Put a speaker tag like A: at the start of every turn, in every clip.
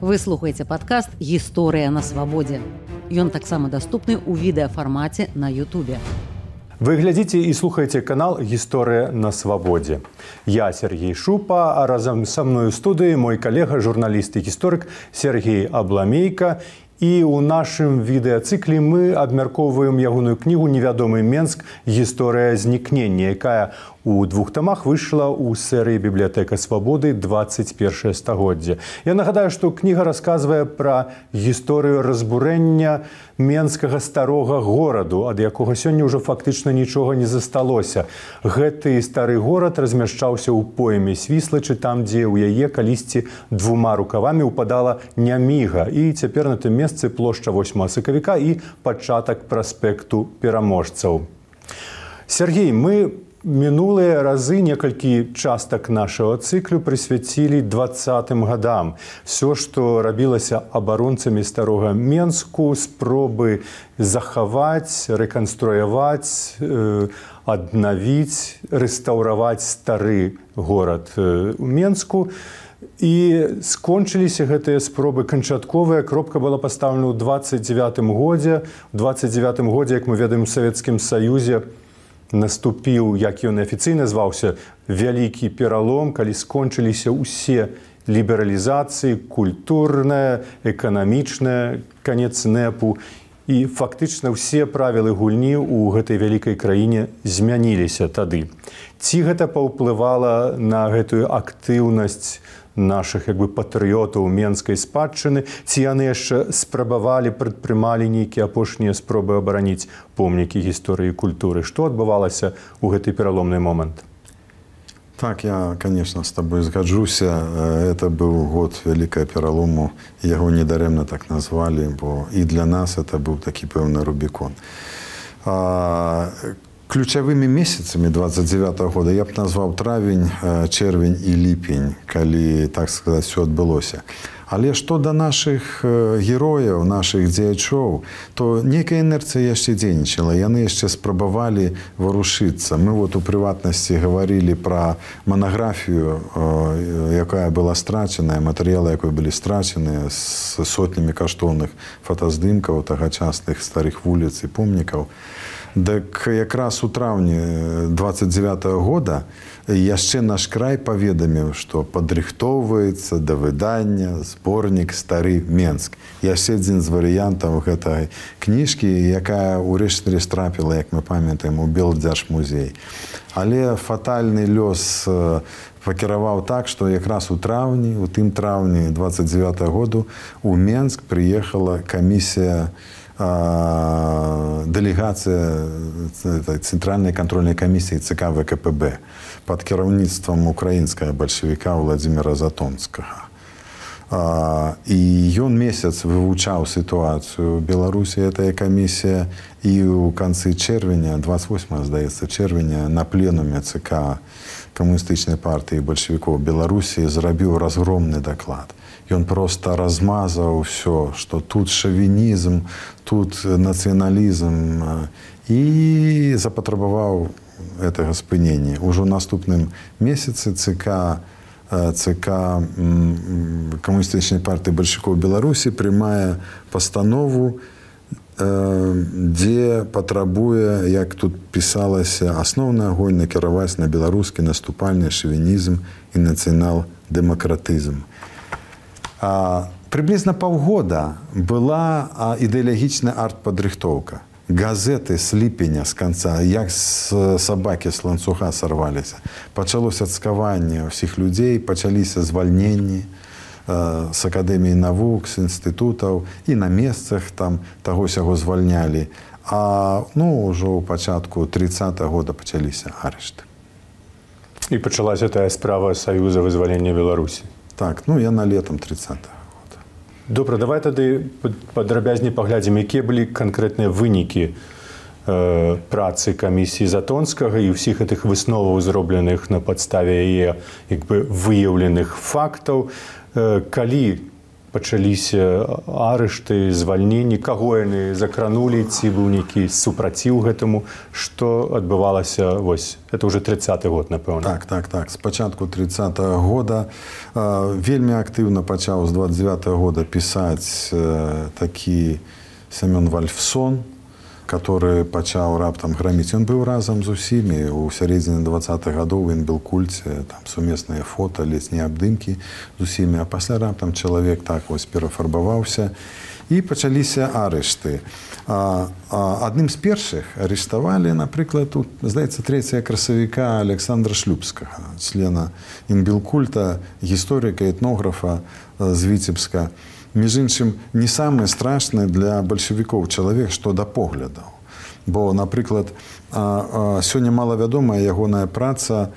A: Вы слухаеце падкаст «Гісторыя на свабодзе». Ён таксама даступны ў відэафармаце на Ютубе.
B: Вы глядзіце і слухаеце канал «Гісторыя на свабодзе». Я Сергей Шупа, а разам са мной у студыі мой калега, журналіст і гісторык Сергей Абламейка. І ў нашым відэацыкле мы абмяркоўваем ягоную кнігу «Невядомы Менск. Гісторыя знікнення», якая у 2 тамах выйшла ў серыі «Бібліятэка свабоды. 21 стагоддзе». Я нагадаю, што кніга расказвае пра гісторыю разбурэння менскага старога гораду, ад якога сёння ўжо фактычна нічога не засталося. Гэты стары горад размяшчаўся ў пойме Свіслачы, там, дзе ў яе калісьці 2 рукавамі ўпадала Няміга. І цяпер на тым месцы плошча 8 сакавіка і пачатак праспекту пераможцаў. Сергей, мы мінулыя разы некалькі частак нашага цыклю прысвяцілі 20-м гадам. Всё, што рабілася абаронцамі старога Менску, спробы захаваць, рэканструяваць, аднавіць, рэстаўраваць стары горад у Менску. І скончыліся гэтыя спробы канчатковыя. Кропка была пастаўлена ў 29-м годзе. У 29-м годзе, як мы ведаем, у Савецкім Саюзе наступіў, як ён афіцыйна зваўся, вялікі пералом, калі скончыліся ўсе лібералізацыі, культурная, эканамічная, канец НЭПу. І фактычна ўсе правілы гульні ў гэтай вялікай краіне змяніліся тады. Ці гэта паўплывала на гэтую актыўнасць нашых патрыётаў менскай спадчыны, ці яны яшчэ спрабавалі, прадпрымалі нейкія апошнія спробы абараніць помнікі гісторыі і культуры? Што адбывалася ў гэты пераломны момант?
C: Так, я, конечно, с тобой сгоджуся. Это был год великого перелому. Его недарemно так назвали, бо и для нас это был таки певный Рубикон. Ключевыми месяцами 29-го года я б назвал травень, червень и липень, коли, так сказать, все отбылося. Але што да нашых герояў, нашых дзеячоў, то некая інерцыя яшчэ дзейнічала. Яны яшчэ спрабавалі варушыцца. Мы у прыватнасці гаварылі пра манаграфію, якая была страчаная, матэрыялы, якой былі страчаныя, з сотнямі каштоўных фотаздымкаў тагачасных старых вуліц і помнікаў. Так якраз у траўні 29-го года яшчэ наш край паведаміў, што падрыхтоўваецца да выдання зборнік «Стары Менск». Яшчэ адзін з варыянтаў гэтай кніжкі, якая ўрэшце рэшт трапіла, як мы памятаем, у Белдзяржмузей. Але фатальны лёс пакіраваў так, што якраз у тым траўні 29-го году у Менск прыехала камісія, делегация Центральной контрольной комиссии ЦК ВКПБ под кіраўніцтвам украінскага бальшавіка Владимира Затонскага. І ён месяц вывучаў сітуацыю ў Беларусі, гэтая камісія, і ў канцы чэрвеня, 28, здаецца, чэрвеня, на пленуме ЦК камуністычнай партыі бальшавікоў Беларусі зрабіў разгромны даклад. Ён проста размазаў ўсё, што тут шавінізм, тут нацыяналізм, і запатрабаваў гэтага спынення. Ужо ў наступным месяцы ЦК камуністычнай партыі бальшавікоў Беларусі прымае пастанову, дзе патрабуе, як тут пісалася, асноўны агонь накіраваць на беларускі наступальны шавінізм і нацыянал-дэмакратызм. Приблизно паўгода была ідэалагічная артпадрыхтоўка. Газеты з ліпеня, з канца, як з сабакі з ланцуга сарваліся. Пачалося цкаванне ўсіх людзей, пачаліся звальненні з акадэміі навук, з інстытутаў, і на месцах там таго-сяго звальнялі. А ўжо ў пачатку 30-го года пачаліся арышты.
B: І пачалася тая справа Саюза вызвалення Беларусі.
C: Так, яна летом 30-го года.
B: Добра, давай тады падрабязней паглядзім, якія былі канкрэтныя вынікі працы камісіі Затонскага і ўсіх гэтых высноваў, зробленых на падставе яе выяўленых фактаў. Калі пачаліся арышты, звальненні, каго яны закранулі, ці быў нейкі супраціў гэтаму, што адбывалася, вось, это ўжо 30-й год, напэўна.
C: Так. З пачатку 30-го года вельмі актыўна пачаў з 29-го года пісаць такі Семён Вальфсон, который пачаў раптам граміць. Ён быў разам з усімі. У сярэдзіне 20-х гадоў він быў кульце, там сумесныя фота, летнія абдымкі з усімі. А пасля раптам чалавек так вось перафарбаваўся. І пачаліся арышты. Адным з першых арыштавалі, напрыклад, тут, здаецца, 3 красавіка Александра Шлюбскага, члена Інбілкульта, гісторыка, этнографа з Віцебска. Між іншым, не самае страшнае для бальшавікоў чалавек, што да поглядаў. Бо, напрыклад, сёння малавядомая ягоная праца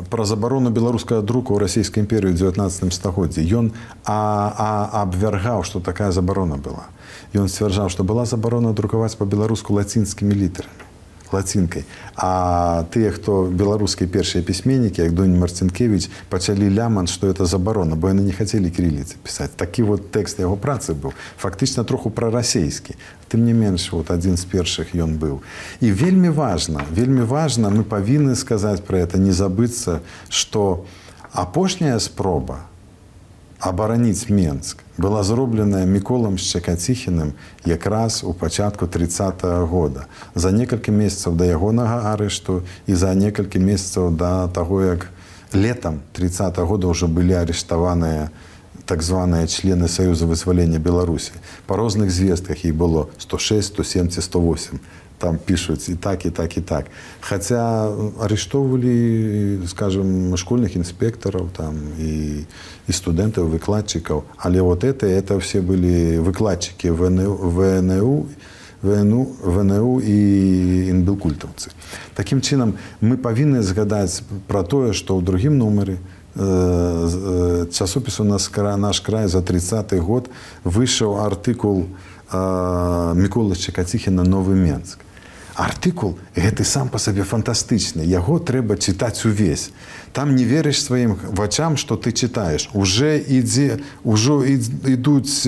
C: пра забарону беларускага друку ў расійскай імперыі ў 19 стагоддзі. Ён абвяргаў, што такая забарона была. Ён сцвярджаў, што была забарона друкаваць па-беларуску лацінскімі літарамі, лацінкай. А тыя, хто беларускія першыя пісьменнікі, як Донь Марцінкевіч, пачалі лямант, што это забарона, бо яны не хацелі кірыліцы пісаць. Такі вот тэкст яго працы быў. Фактычна троху прарасейскі. Тым не менш, вот адзін з першых ён быў. І вельмі важна, мы павінны сказаць пра это, не забыцца, што апошняя спроба абараніць Менск была зробленая Міколам Шчакаціхіным якраз у пачатку 30-го года. За некалькі месяцаў да ягонага арышту і за некалькі месяцаў да таго, як летам 30-го года ўжо былі арыштаваныя так званыя члены Саюза вызвалення Беларусі. Па розных звестках іх было 106, 107, 108. Там пишуць і так. Хаця арыштоўвалі, скажем, школьных інспектараў там, і студэнтаў, выкладчыкаў. Але вот это все былі выкладчыкі ВНУ і інбілкультаўцы. Такім чынам, мы павінны згадаць пра тое, што ў другім нумары часопісу «Наш край» за 30-й год выйшаў артыкул Міколы Шчакаціхіна «Новы Менск». Артыкул гэты сам па сабе фантастычны. Яго трэба чытаць увесь. Там не верыш сваім вачам, што ты чытаеш. Ужо ідуць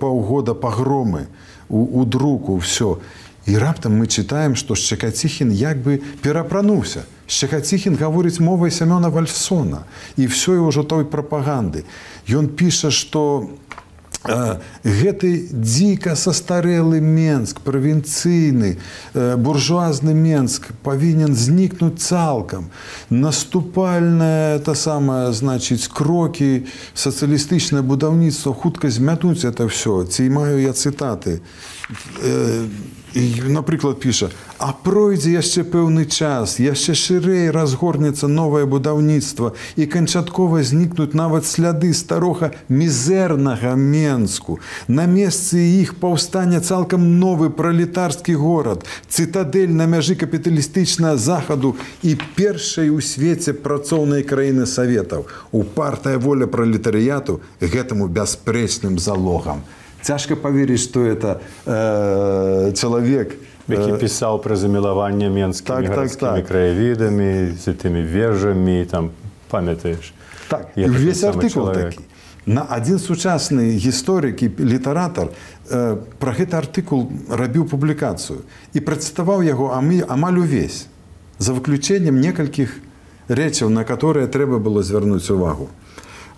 C: паўгода пагромы у друку, ўсё. І раптам мы чытаем, што Шчакаціхін як бы перапрануўся. Шчакаціхін гаворыць мовай Семёна Вальфсона. І ўсё ўжо той прапаганды. Ён піша, што гэты дзіка састарэлы Менск, правінцыйны, буржуазны Менск павінен знікнуць цалкам. Наступальнае, крокі, сацыялістычнае будаўніцтва хутка змятуць это ўсё. Ці маю я цытаты. І, напрыклад, піша: «А пройдзе яшчэ пэўны час, яшчэ шырэй разгорнецца новае будаўніцтва і канчаткова знікнуць нават сляды старога мізэрнага Менску. На месцы іх паўстане цалкам новы пралетарскі горад, цытадэль на мяжы капіталістычнага захаду і першай у свеце працоўнай краіны Саветаў. Упартая воля пралетарыяту гэтаму бясспрэчным залогам». Цяжка паверыць, што это чалавек,
B: які пісаў пра замілаванне менскімі гарадскімі краявідамі, з тымі вежамі, там, памятаеш?
C: Так, і ўвесь артыкул такі. Адзін сучасны гісторык і літаратар пра гэты артыкул рабіў публікацыю і працытаваў яго амаль увесь, за выключэннем некалькіх рэчаў, на которые трэба было звярнуць увагу.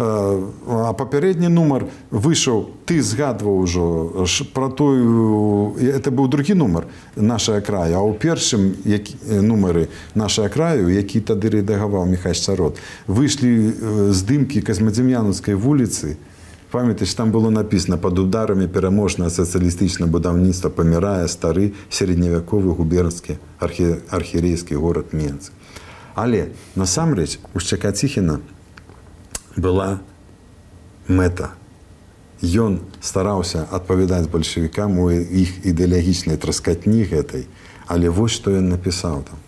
C: А папярэдні нумар выйшаў, ты згадваў ужо пра тую, это быў другі нумар «Нашая края», а ў першым нумары «Нашая краю», які тады рэдагаваў Міхась Чарот, выйшлі здымкі Казмадзем'янаўскай вуліцы. Памятаеш, там было напісана: «Пад ударамі пераможнае сацыялістычнае будаўніцтва памірае стары сярэдневяковы губернскі архірэйскі горад Менск». Але, насамрэч, у Шчакаціхіна была мэта. Ён стараўся адпавядаць бальшавікам у іх ідэалагічнай траскатні гэтай, але вось што ён напісаў там: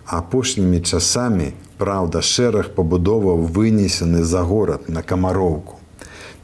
C: «Апошнімі часамі, праўда, шэраг пабудоваў вынесены за горад на Камароўку.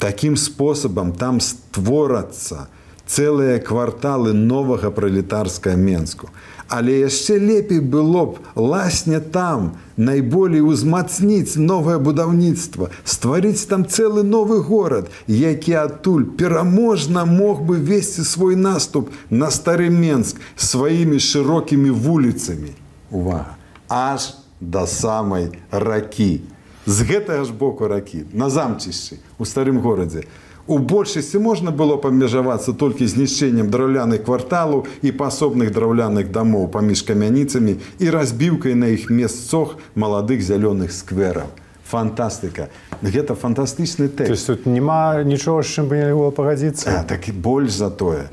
C: Такім спосабам там створацца цэлыя кварталы новага пралетарскага Менску. Але яшчэ лепей было б ласне там найболей узмацніць новае будаўніцтва, стварыць там цэлы новы горад, які адтуль пераможна мог бы весці свой наступ на стары Менск сваімі шырокімі вуліцамі. Увага! Аж да самай ракі. З гэтага ж боку ракі, на замчышчы, у старым горадзе. У большасці можна было памежавацца толькі знішчэннем драўляных кварталаў і пасобных драўляных дамоў паміж камяніцамі і разбіўкай на іх месцах маладых зялёных сквераў. Фантастыка. Гэта фантастычны тэкст.
B: То есть тут няма нічога, з чым бы нельга было пагадзіцца?
C: Так і больш за тое.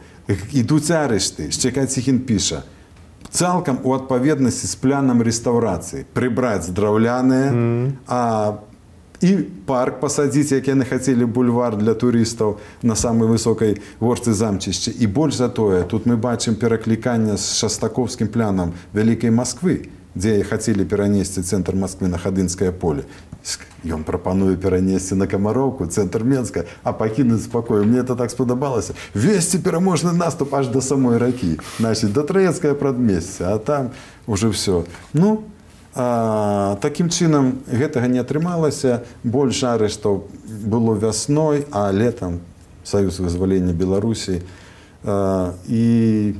C: Ідуць арышты. Шчекаціхін піша. Цалкам у адпаведнасці з планам рэстаўрацыі прыбраць драўляныя, і парк пасадзіць, як яны хацелі бульвар для турыстаў на самай высокай горцы замчышча. І больш за тое, тут мы бачым перакліканне з шастаковскім планам Вялікай Масквы, дзе хацелі перанесці цэнтр Масквы на Хадынскае поле. Ён прапануе перанесці на Камароўку, цэнтр Менска, а пакінуць спакою. Мне это так спадабалася. Весці пераможны наступ аж да самой ракі. Значит, да Траецкае прадмесце, а там уже все. Ну, такім чынам гэтага не атрымалася. Больш арыштаў было вясной, а летам Саюз вызвалення Беларусі. І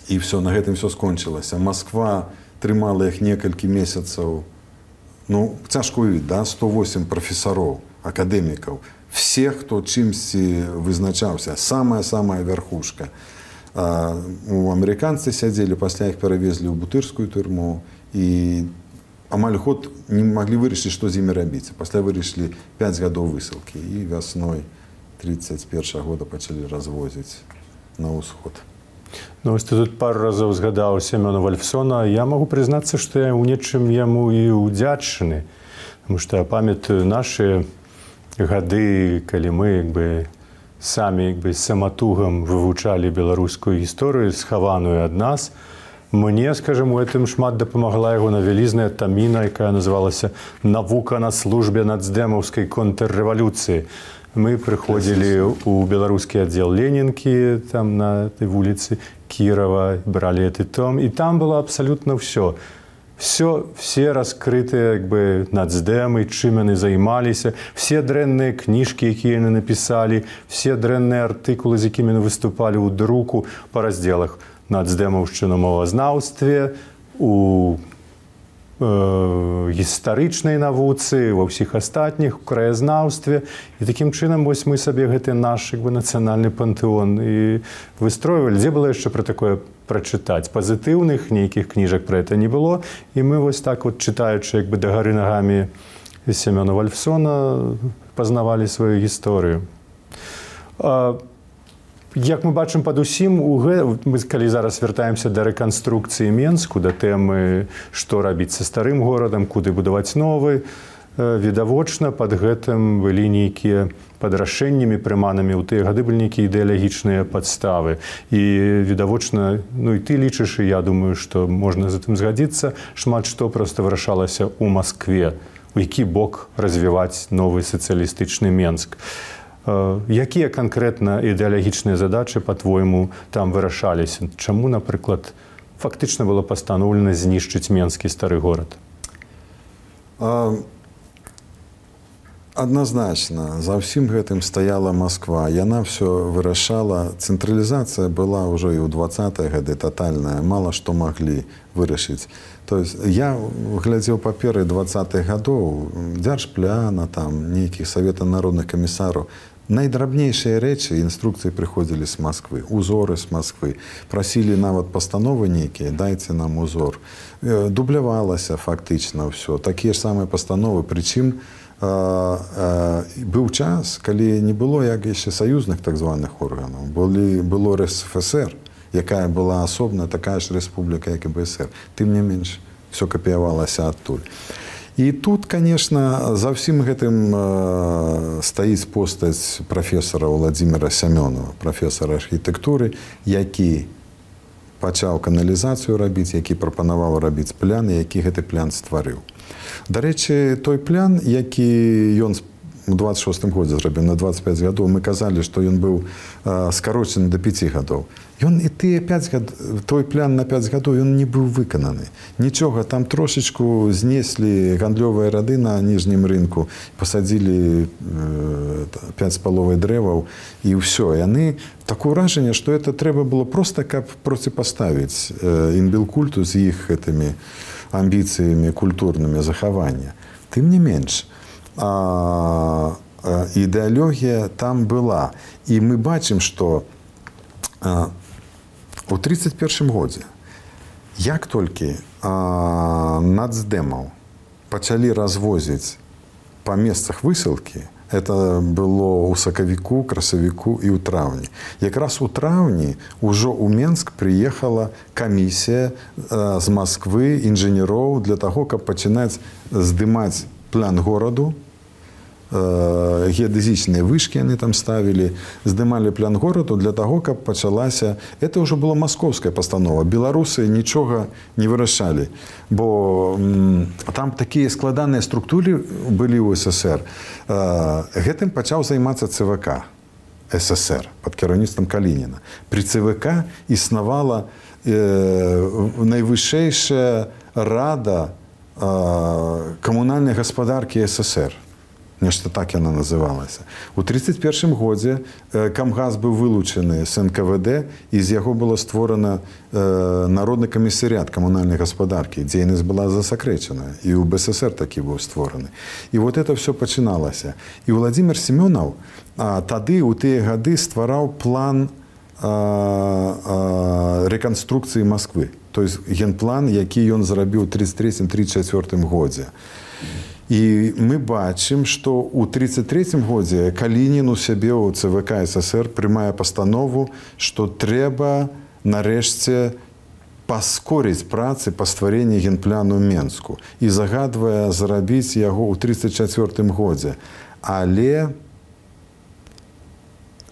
C: все, на гэтым все скончылася. Масква трымала іх некалькі месяцаў. Ну, цяжко ўявіць, да? 108 прафесароў, акадэмікаў. Все, хто чымсьці вызначаўся. Самая верхушка. Амерыканцы сядзелі, пасля іх перавезлі ў бутырскую турму. І амаль год не маглі вырашыць, што з імі рабіць. Пасля вырашылі 5 гадоў высылкі. І вясной 31 года пачалі развозіць на ўсход.
B: Ну, вось ты тут пару разоў згадаў Семёна Вальфсона. Я магу прызнацца, што я ў нечым яму і ўдзячны. Таму што я памятаю нашы гады, калі мы самі саматугам вывучалі беларускую гісторыю, схаваную ад нас. Мне, скажем, у гэтым шмат дапамагла яго навялізная таміна, якая называлася «Навука на службе нацдэмаўскай контррэвалюцыі». Мы прыходзілі ў беларускі аддзел Ленінкі, там на этой вуліцы Кірава, бралі гэты том, і там было абсалютна ўсё. Все раскрытыя нацдэмы, чым яны займаліся, все дрэнныя кніжкі, якія яны напісалі, все дрэнныя артыкулы, з якімі яны выступалі ў друку па раздзелах нацдэмаўшчына мовазнаўстве, у гістарычнай навуцы, ва ўсіх астатніх, у краязнаўстве. І такім чынам вось мы сабе гэты наш нацыянальны пантэон і выстройвалі. Дзе было яшчэ пра такое прачытаць? Пазітыўных нейкіх кніжак пра гэта не было. І мы вось так вот, чытаючы дагары нагамі Семёна Вальфсона, пазнавалі сваю гісторыю. Як мы бачым падусім, мы калі зараз вяртаемся да рэканструкцыі Менску, да тэмы, што рабіць са старым горадам, куды будаваць новы, відавочна пад гэтым былі нейкія пад рашэннямі прыманымі ў тыя гады былі нейкія ідэалагічныя падставы. І відавочна, ну і ты лічыш, і я думаю, што можна з гэтым згадзіцца, шмат што проста вырашалася ў Маскве, у які бок развіваць новы сацыялістычны Менск. Якія канкрэтна ідэалагічныя задачы, па-твойму, там вырашаліся? Чаму, напрыклад, фактычна было пастаноўлена знішчыць Менскі стары горад?
C: Адназначна, за ўсім гэтым стаяла Масква. Яна ўсё вырашала. Цэнтралізацыя была ўжо і ў 20-е гады татальная. Мала што маглі вырашыць. То есть я глядзеў паперы 20-х гадоў, дзяржпляна, там, нейкіх Савета народных камісараў. Найдрабнейшыя рэчы, інструкцыі прыходзілі з Масквы, узоры з Масквы. Прасілі нават пастановы нейкія, дайце нам узор. Дублявалася фактычна ўсё. Такія ж самыя пастановы, прычым быў час, калі не было як яшчэ саюзных так званых органаў. Было РСФСР, якая была асобна, такая ж рэспубліка, як і БСР. Тым не менш, все капіявалася адтуль. І тут, конечно, за ўсім гэтым стаіць постаць прафесара Владзіміра Сямёнова, прафесара архітэктуры, які пачаў каналізацыю рабіць, які прапанаваў рабіць плян, і які гэты плян стварыў. Дарэчы, той плян, які ён у 26-м годзе зрабіў на 25 гадоў. Мы казалі, што ён быў скарочаны до 5 гадоў. Ён і той план на 5 гадоў ён не быў выкананы. Нічога, там трошечку знеслі гандлёвыя рады на ніжнім рынку, пасадзілі 5,5 дрэваў і ўсё. Яны такое ўражанне, што это трэба было проста, каб проціпаставіць інбілкульту з іх гэтымі амбіцыямі культурнымі захавання. Тым не менш, ідэалогія там была. І мы бачым, што у 31 годзе, як толькі нацдэмаў пачалі развозіць па месцах высылкі, это было ў сакавіку, красавіку і ў траўні. Якраз у траўні ўжо ў Менск прыехала камісія з Масквы, інжынероў для таго, каб пачынаць здымаць план гораду. Геадэзічныя вышкі яны там ставілі, здымалі план гораду для таго, каб пачалася... Это ўжо была маскоўская пастанова. Беларусы нічога не вырашалі, бо там такія складаныя структуры былі ў СССР. Гэтым пачаў займацца ЦВК СССР пад кіраўніцтвам Калініна. Пры ЦВК існавала найвышэйшая рада камунальнай гаспадаркі СССР. Нешта так яна называлася. У 1931 годзе Камгаз быў вылучаны з НКВД, і з яго было створана Народны камісарыят камунальнай гаспадаркі. Дзейнасць была засакрэчана. І ў БССР такі быў створаны. І вот это все пачыналася. І Владимир Семёнаў тады, у тыя гады, ствараў план рэканструкцыі Масквы. То есть генплан, які ён зрабіў у 1933-1934 годзе. І мы бачым, што ў 1933 годзе Калінін у сябе ў ЦВК СССР прымае пастанову, што трэба нарэшце паскорыць працы па стварэнні генпляну Менску і загадвае зрабіць яго ў 1934 годзе. Але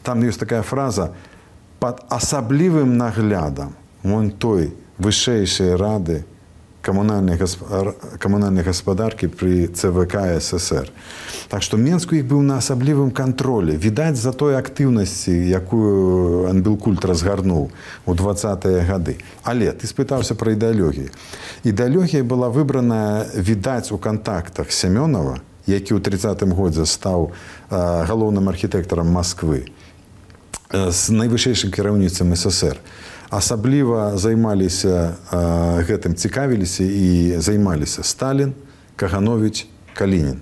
C: там ёсць такая фраза «пад асаблівым наглядам вон той вышэйшай рады камунальнай гаспадаркі пры ЦВК СССР». Так што Менск у іх быў на асаблівым кантролі. Відаць, за той актыўнасці, якую Анбілкульт разгарнуў у 20-е гады. Але ты спытаўся пра ідэалогію. Ідэалогія была выбрана, відаць, у кантактах Семёнава, які ў 30-м годзе стаў галоўным архітэктарам Масквы, з найвышэйшым кіраўніцтвам СССР. Асабліва займаліся гэтым, цікавіліся і займаліся Сталін, Кагановіч, Калінін.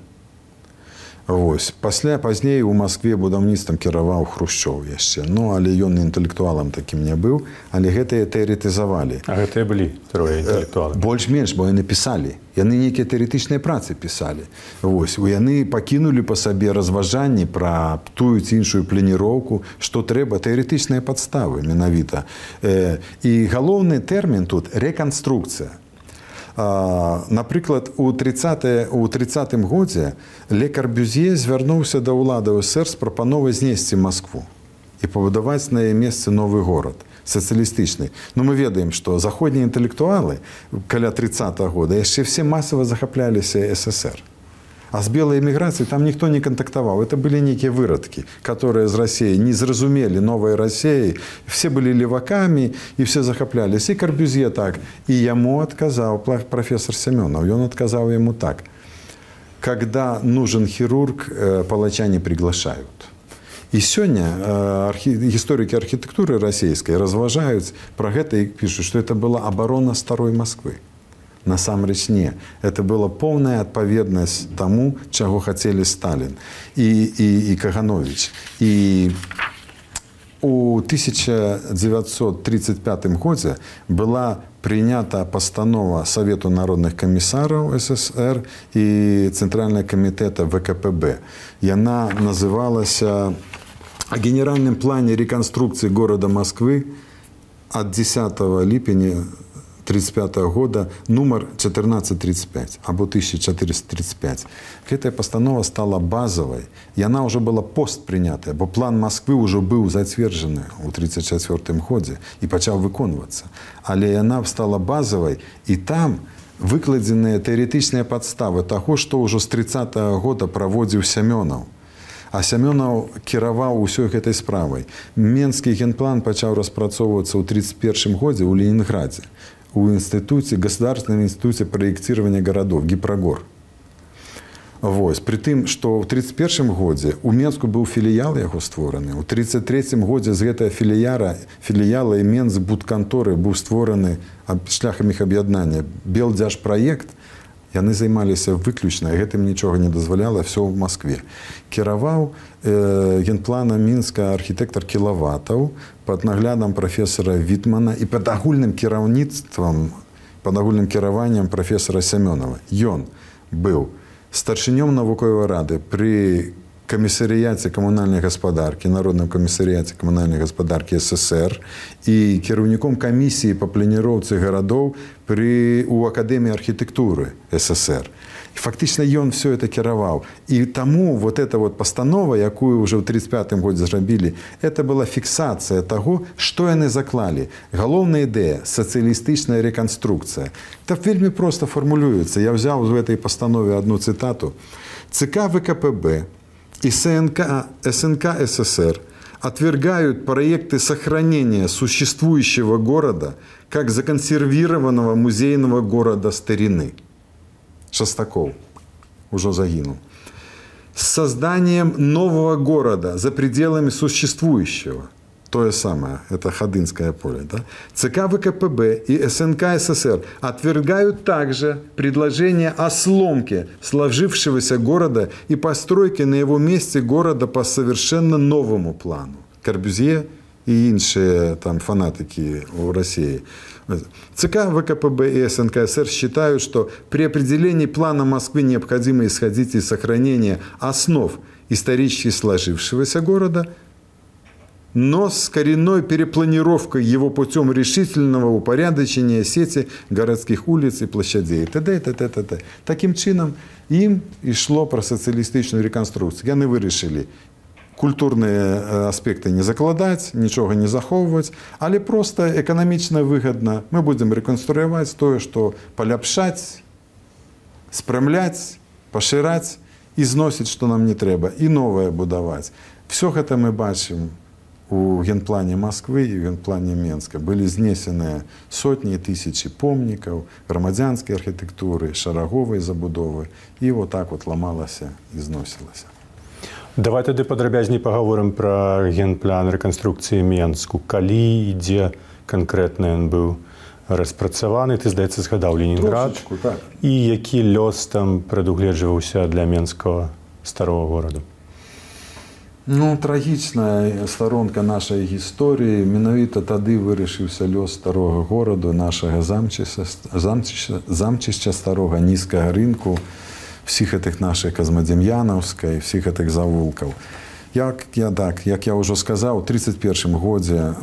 C: Вось. Пазней у Маскве будаўніцтвам кіраваў Хрушчоў яшчэ. Ну, але ён інтэлектуалам такім не быў, але гэтыя тэарэтызавалі.
B: А гэтыя былі трое інтэлектуалы?
C: Больш-менш, бо яны пісалі. Яны нейкія тэарэтычныя працы пісалі. Вось. Яны пакінулі па сабе разважанні пра тую ці іншую планіроўку, што трэба, тэарэтычныя падставы менавіта. І галоўны тэрмін тут – рэканструкцыя. Напрыклад, у 30-м годзе Ле Карбюзье звярнуўся да ўлады СССР з прапановай знесці Маскву і пабудаваць на яе месцы новы горад, сацыялістычны. Ну, мы ведаем, што заходнія інтэлектуалы каля 30-го года яшчэ все масава захапляліся СССР. А з белай эміграцыі там ніхто не кантактаваў. Это былі нейкія вырадкі, которые з Расіі не зразумелі новай Расіі. Все былі левакамі і все захапляліся. І Карбюзье так. І яму адказаў профессор Семёнаў. Ён адказаў яму так. Когда нужен хирург, палача не приглашают. І сёння гісторыкі архітэктуры расійскай разважаюць пра гэта і пішуць, што это была абарона старой Масквы. Насамрэч не. Это была поўная адпаведнасць таму, чаго хацелі Сталін і Кагановіч. І у 1935 годзе была прынята пастанова Савету народных камісараў СССР і Цэнтральнага камітэта ВКПБ. Яна называлася «О генеральном плане реконструкции города Москвы от 10 липня 1935 года, нумар 1435, або 1435. Гэтая пастанова стала базовой, и она уже была постпринятая, бо план Москвы уже был зацверджены у 1934 годзе и пачаў выконвацца. Але яна стала базовой, и там выкладзеныя тэарэтычныя падставы таго, што ўжо з 30-го года праводзіў Семёнаў. А Сямёнаў кіраваў усёй гэтай справай. Менскі генплан пачаў распрацоўвацца ў 1931 годзе ў Ленінградзе, у государственном институте проектирования городов, Гипрогор. Вось. При тым, што ў 1931 годзе у Менску быў філіял яго створаны. У 1933 годзе з гэтага філіяла і Менсбудканторы быў створаны шляхам іх аб'яднання Белдзяжпраект. Яны займаліся выключна, гэтым нічога не дазваляла, все ў Москве. Кіраваў генплана Мінска архітэктар Кілаватаў пад наглядам прафесара Вітмана і пад агульным кіраўніцтвам, пад агульным кіраваннем прафесара Сямёнава. Ён быў старшынём навуковай рады пры камісарыяце камунальнай гаспадаркі, Народным камісарыяце камунальнай гаспадаркі СССР і кіраўніком камісіі па планіроўцы гарадоў у Акадэміі архітэктуры СССР. І фактычна ён все это кіраваў. І таму вот эта вот пастанова, якую ўжо ў 1935 годзе зрабілі, это была фіксацыя таго, што яны заклалі. Галоўная ідэя – сацыялістычная рэканструкцыя. Это вельмі проста фармулюецца. Я взяў в этой пастанове одну цитату. ЦК ВКПБ и СНК СССР отвергают проекты сохранения существующего города как законсервированного музейного города старины. Шостаков уже загинул. С созданием нового города за пределами существующего. То же самое, это Ходынское поле. Да? ЦК ВКПБ и СНК СССР отвергают также предложение о сломке сложившегося города и постройке на его месте города по совершенно новому плану. Корбюзье и иншие там фанатики в России. ЦК ВКПБ и СНК СССР считают, что при определении плана Москвы необходимо исходить из сохранения основ исторически сложившегося города, но с коренной перепланировкой его путем решительного упорядочения сети городских улиц и площадей. Т.д. т.д. Таким чином им и шло про социалистичную реконструкцию. Яны вырашили культурные аспекты не закладать, ничего не заховывать, але просто экономично выгодно. Мы будем реконструировать то, что поляпшать, спрямлять, поширать, износить, что нам не треба, и новое будовать. Все это мы бачим у генплане Москвы и генплане Менска. Были знесены сотни и тысячи помников громадянской архитектуры, шараговой забудовы, и вот так вот ломалось и износилось.
B: Давай тады падрабязней паговорым пра генплан рэканструкцыі Менску. Калі і дзе канкрэтна ён быў распрацаваны, ты, здаецца, згадаў Ленінград.
C: Трошечку, так.
B: І які лёс там прадугледжваўся для менскага старого гораду?
C: Ну, трагічная сторонка нашай гісторыі. Менавіта тады вырашыўся лёс старога гораду, нашага замчышча старога, нізкага рынку, всіх этих наших Казмадем'яновська, всіх этих завулків. Як я вже сказав, у 1931 годзе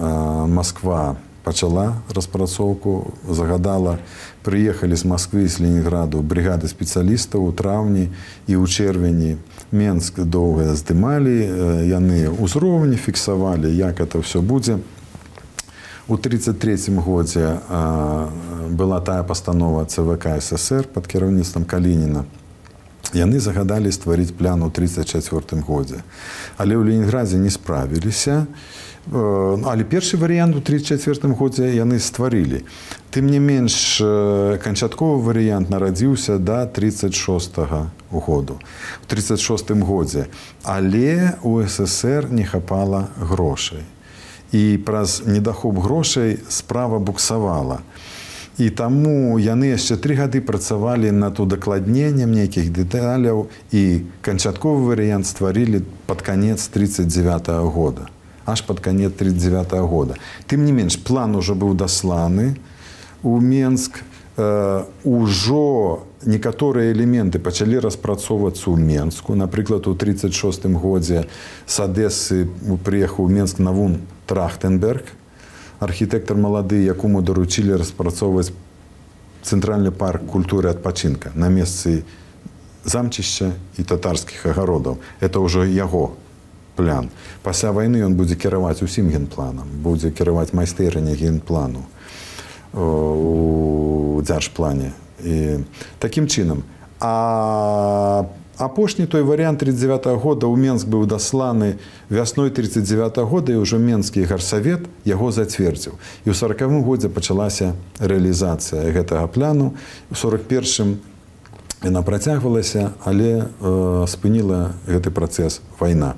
C: Москва почала распрацоўку, загадала, приехали з Москвы, з Ленинграду бригады спецыялістаў у траўні і ў чэрвені. Менск доўга здымалі, яны ўзроўні фіксавалі, як это все будзе. У 1933 годзе была тая пастанова ЦВК СССР под кіраўніцтвам Калініна. Яны загадалі стварыць план у 1934 годзе. Але ў Ленінградзе не справіліся. Але першы варыянт у 1934 годзе яны стварылі. Тым не менш, канчатковы варыянт нарадзіўся да 1936 году. У 1936 годзе. Але у СССР не хапала грошай. І праз недахоп грошай справа буксавала. І таму яны яшчэ 3 гады працавалі над удакладненнем нейкіх дэталяў і канчатковы варыянт стварылі пад канец 1939 года. Аж пад канец 1939 года. Тым не менш, план ужо быў дасланы у Менск. Ужо некаторыя элементы пачалі распрацоўвацца ў Менску. Напрыклад, у 1936 годзе з Адэсы прыехаў у Менск Навун Трахтенберг, архітэктар малады, якому даручілі распрацоўваць цэнтральны парк культуры адпачынка на месцы замчышча і татарскіх агародаў. Это ўжо яго план. Пасля вайны ён будзе кіраваць усім генпланам, будзе кіраваць майстэрня генплану у дзяржплане. І такім чынам. А Апошні той варыянт 39 года ў Менск быў дасланы вясной 39 года, і ўжо Менскі гарсавет яго зацвердзіў. І ў 40-м годзе пачалася рэалізацыя гэтага плану. У 41-м яна працягвалася, але спыніла гэты працэс вайна.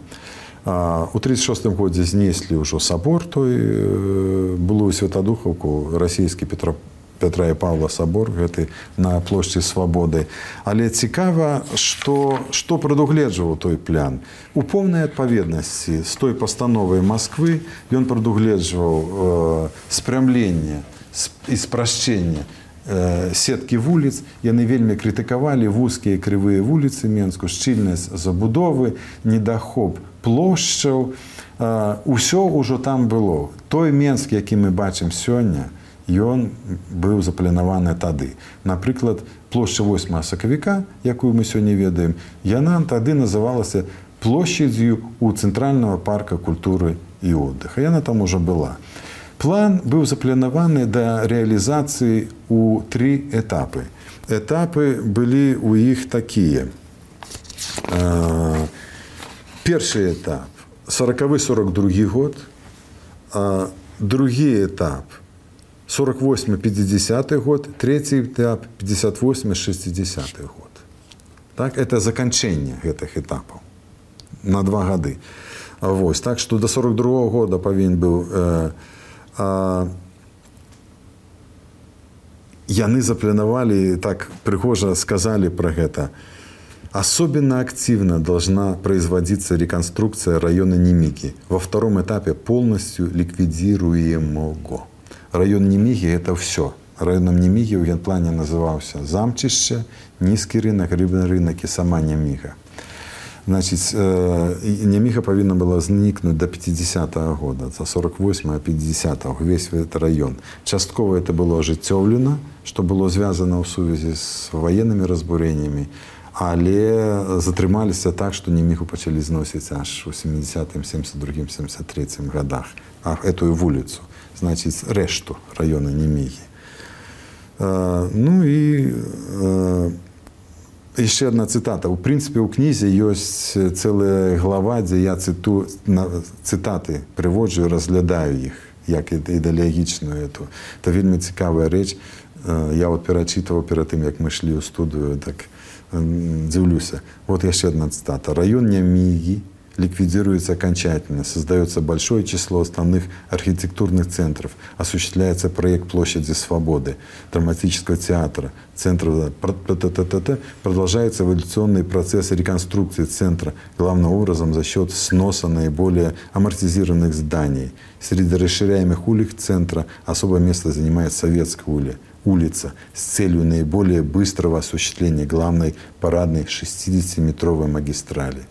C: У 36-м годзе знеслі ўжо сабор, той былую Святадухаўку, расійскі Петра і Павла сабор, гэты на плошчы Свабоды. Але цікава, што прадугледжваў той план. У поўнай адпаведнасці з той пастановай Масквы ён прадугледжваў спрямленне і спрашчэнне сеткі вуліц. Яны вельмі крытыкавалі вузкія крывыя вуліцы Менску, шчыльнасць забудовы, недахоп плошчаў. Усё ўжо там было. Той Менск, які мы бачым сёння, ён быў запланаваны тады. Напрыклад, плошча 8 сакавіка, якую мы сёння ведаем, яна тады называлася плошчадзю у Цэнтральнага парка культуры і отдыха. Яна там ужо была. План быў запланаваны да рэалізацыі ў 3 этапы. Этапы былі ў іх такія. Першы этап 40-42 год, другі этап 48-50 год, третий этап 58-60 год. Так, это заканчэнне гэтых этапаў на 2 гады. Вось, так што до 42 года павінен быў яны запланавалі, так прыгожа сказали про гэта. Особенно активно должна производиться реконструкция района Немиги. Во втором этапе полностью ликвидируемого. Район Немиги – это все. Районом Немиги в генплане назывался Замчище, Низкий рынок, Рыбный рынок и сама Немига. Значит, Немига повинна была зникнуть до 50-го года, до 48-го, 50-го, весь этот район. Частково это было ожитевлено, что было связано в связи с военными разбурениями, але затрымаліся так, што Немігу пачалі зносіць аж у 70-м, 72-м, 73-м годах. А эту вуліцу, значит, решту района Немігі. Ну і яшчэ одна цитата. У прынцыпе, у кнізе ёсць цэлая глава, дзе я цытаты прыводжу, разглядаю іх, як ідэалагічную эту. Это вельмі цікавая рэч. Я вот перачытываў перад тым, як мы шлі ў студыю, так дивлюся. Вот еще одна цитата. Район Немиги ликвидируется окончательно. Создается большое число основных архитектурных центров. Осуществляется проект Площади Свободы, драматического театра, центра. Продолжается эволюционный процесс реконструкции центра, главным образом за счет сноса наиболее амортизированных зданий. Среди расширяемых улиц центра особое место занимает Советская улица с целью наиболее быстрого осуществления главной парадной 60-метровой магистрали.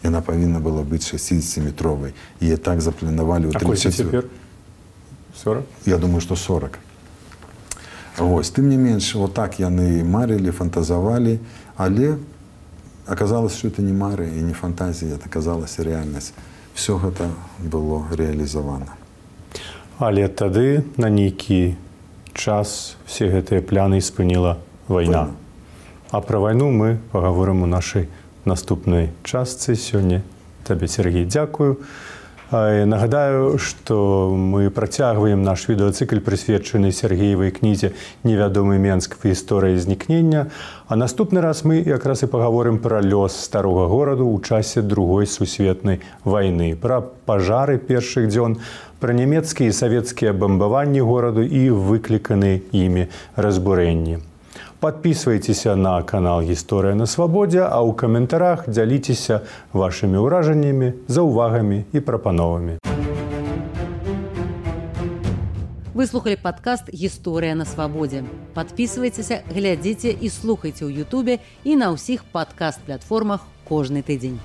C: И она повинна была быть 60-метровой. И так запланировали...
B: А какой теперь? 40?
C: Я думаю, что 40. Вот. Тем не меньше, вот так яны марили, фантазовали, але оказалось, что это не мары и не фантазия, это оказалась реальность. Все это было реализовано.
B: Але тады на нейкі час все гэтыя пляны спыніла вайна. А пра вайну мы пагаворым у нашай наступнай частцы сёння. Табе, Сергей, дзякую. Нагадаю, што мы працягваем наш відэацыкль, прысвечаны Сергеевай кнізе «Невядомы Менск в гісторыі знікнення». А наступны раз мы якраз і пагаворым пра лёс старога гораду ў часе Другой сусветнай вайны, пра пажары першых дзён, пра нямецкія і савецкія бамбаванні гораду і выкліканыя імі разбурэнні. Подписывайтеся на канал «Гісторыя на свабодзе», а ў каментарах дзяліцеся вашымі ўражаннямі, заўвагамі і прапановамі.
A: Вы слухали падкаст «Гісторыя на свабодзе». Подписывайтеся, глядзіце і слухайце ў Ютубе і на ўсіх падкаст-платформах кожны тыдзень.